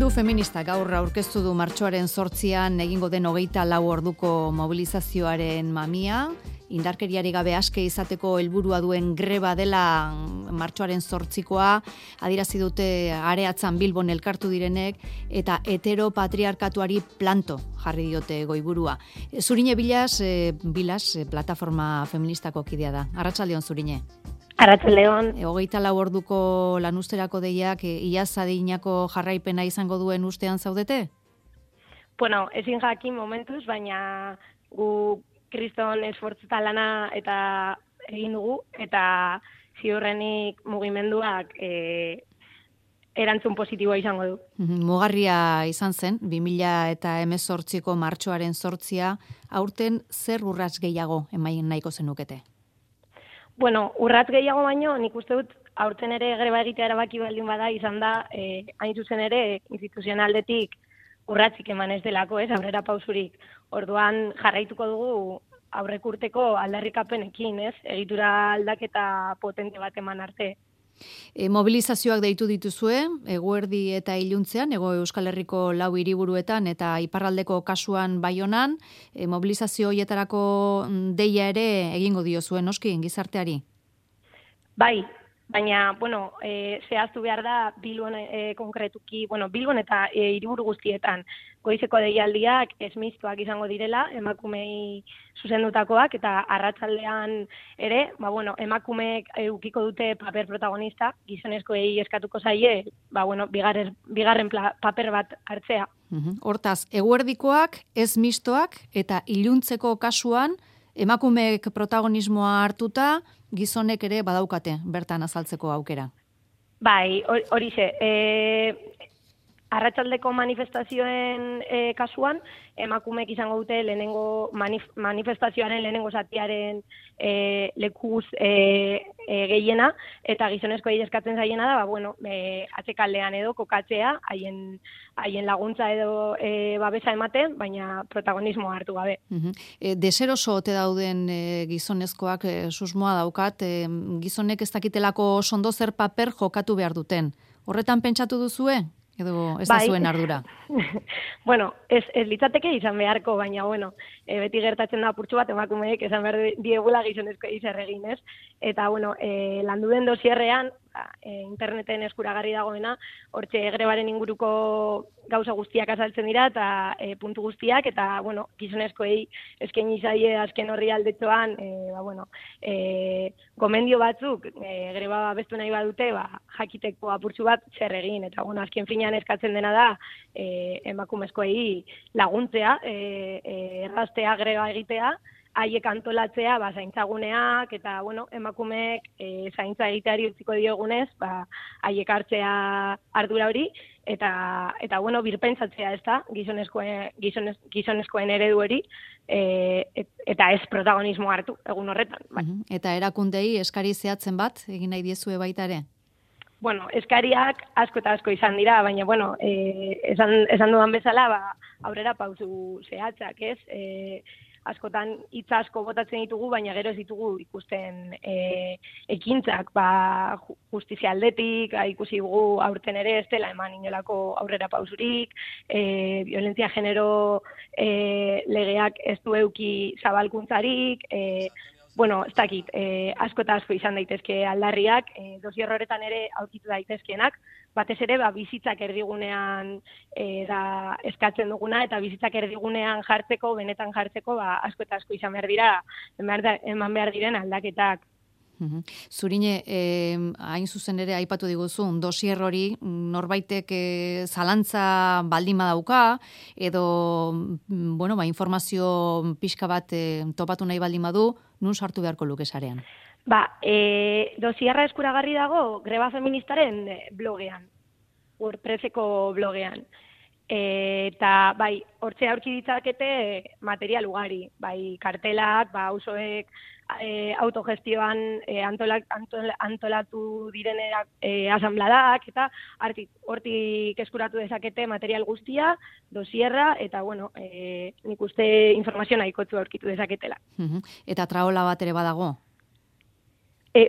Mugimendu feminista gaur aurkeztu du martxoaren 8an egingo den 24 orduko mobilizazioaren mamia. Indarkeriari gabe aske izateko helburua duen greba dela martxoaren 8koa, adierazi dute Areatzan Bilbon elkartu direnek eta heteropatriarkatuari planto jarri diote goiburua. Zurine Bilas, plataforma feministako kidea da. Arratsaldeon Zurine. Arratsaldeon. 24 orduko lanuzterako deiak iaz adinako jarraipena izango duen ustean zaudete? Bueno, ezin jakin momentuz, baina gu kriston esfortzuta lana eta egin dugu, eta ziurrenik mugimenduak erantzun positiboa izango du. Mugarria izan zen, 2018ko martxoaren 8a, aurten zer urrats gehiago emain nahiko zenukete? Bueno, urratz gehiago baino, nik uste dut, aurten ere greba egitea erabaki baldin bada, izan da, hain zuzen ere, instituzionaldetik urratzik eman ez delako, aurrera pausurik. Orduan jarraituko dugu aurrek urteko aldarrikapenekin, egitura aldaketa potente bat eman arte. Mobilizazioak deitu dituzue, eguerdi eta iluntzean, Hego Euskal Herriko 4 hiriburuetan eta iparraldeko kasuan Baionan, mobilizazio hoietarako deia ere egingo diozue noski gizarteari? Bai, baina, zehaztu behar da Bilbon konkretuki, Bilbon eta hiriburu guztietan goizeko deialdiak esmiztuak izango direla, emakumei zuzendutakoak, eta arratsaldean ere, emakumeek edukiko dute paper protagonista, gizonezkoei eskatuko zaie, bigarren paper bat hartzea. Hortaz, eguerdikoak, ez mistoak, eta iluntzeko kasuan, emakumeek protagonismoa hartuta, gizonek ere badaukate, bertan azaltzeko aukera. Bai, horixe. Arratsaldeko manifestazioen kasuan, emakumeek izango dute lehenengo manifestazioaren lehenengo zatiaren lekuz gehiena, eta gizonezkoei eskatzen zaiena da, atzekaldean edo kokatzea, haien laguntza edo babesa ematen, baina protagonismoa hartu gabe. Deseroso ote dauden gizonezkoak susmoa daukat, gizonek ez dakitelako ondo zer paper jokatu behar duten. Horretan pentsatu duzue? Edo ez da zuen ardura? Ez litzateke izan beharko, baina, beti gertatzen da apurtxo bat, emakumeek esan behar diegula gizonezko zer egin, ez? Eta, landu den dosierrean, interneten eskuragarri dagoena, hortxe grebaren inguruko gauza guztiak azaltzen dira, eta puntu guztiak, eta, gizonezkoei eskaini zaie azken horri aldetxoan, gomendio batzuk, greba babestu nahi badute, jakiteko apurtxo bat zer egin, eta, azken finean eskatzen dena da, emakumezkoei laguntzea, erraztea greba egitea, haiek antolatzea, zaintzaguneak, eta, emakumeek zaintza egiteari utziko diogunez, haiek hartzea ardura hori, eta birpentsatzea ez da, gizonezkoen eredu hori, eta ez protagonismo hartu, egun horretan. Eta erakundei eskari zehatzen bat, egin nahi diezue baita ere? Eskariak asko eta asko izan dira, baina, esan dudan bezala, aurrera pausu zehatzak, ez? Askotan hitz asko botatzen ditugu, baina gero ez ditugu ikusten ekintzak, justizia aldetik, ikusi dugu aurten ere ez dela eman inolako aurrera pausurik, violentzia genero legeak ez du eduki zabalkuntzarik, ez dakit, asko eta asko izan daitezke aldarriak, dosier horretan ere aurkitu daitezkeenak, batez ere bizitzak erdigunean da eskatzen duguna, eta bizitzak erdigunean jartzeko, benetan jartzeko, asko eta asko izan behar dira, eman behar diren aldaketak. Zurine, hain zuzen ere aipatu diguzun, dosier hori norbaitek zalantza baldin badauka, edo, informazio pixka bat topatu nahi baldin badu, nun sartu beharko luke sarean? Dosierra eskuragarri dago greba feministaren blogean, WordPresseko blogean. Eta, hortze aurki ditzakete material ugari, kartelak, auzoek autogestioan antolatu direnerak asambladak, eta hortik eskuratu dezakete material guztia, dosierra, eta, nik uste informazio nahikotzu aurkitu dezaketela. Eta traola bat ere badago?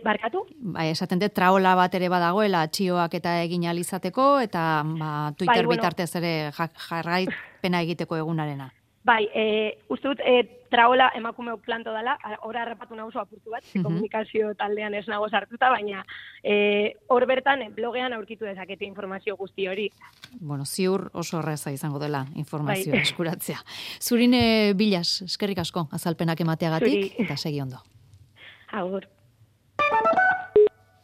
Barkatu? Bai, esaten dut traola bat ere badagoela txioak eta egin alizateko, eta Twitter bitartez ere jarraipena egiteko egunarena. Bai, uste dut traola emakumeok planto dela, ora harrapatu nauzu apurtu bat, komunikazio taldean ez nago sartuta, baina hor bertan blogean aurkitu dezakete informazio guzti hori. Bueno, ziur oso erraza izango dela informazio eskuratzea. Zurine Bilas, eskerrik asko azalpenak emateagatik, eta segi ondo. Agur.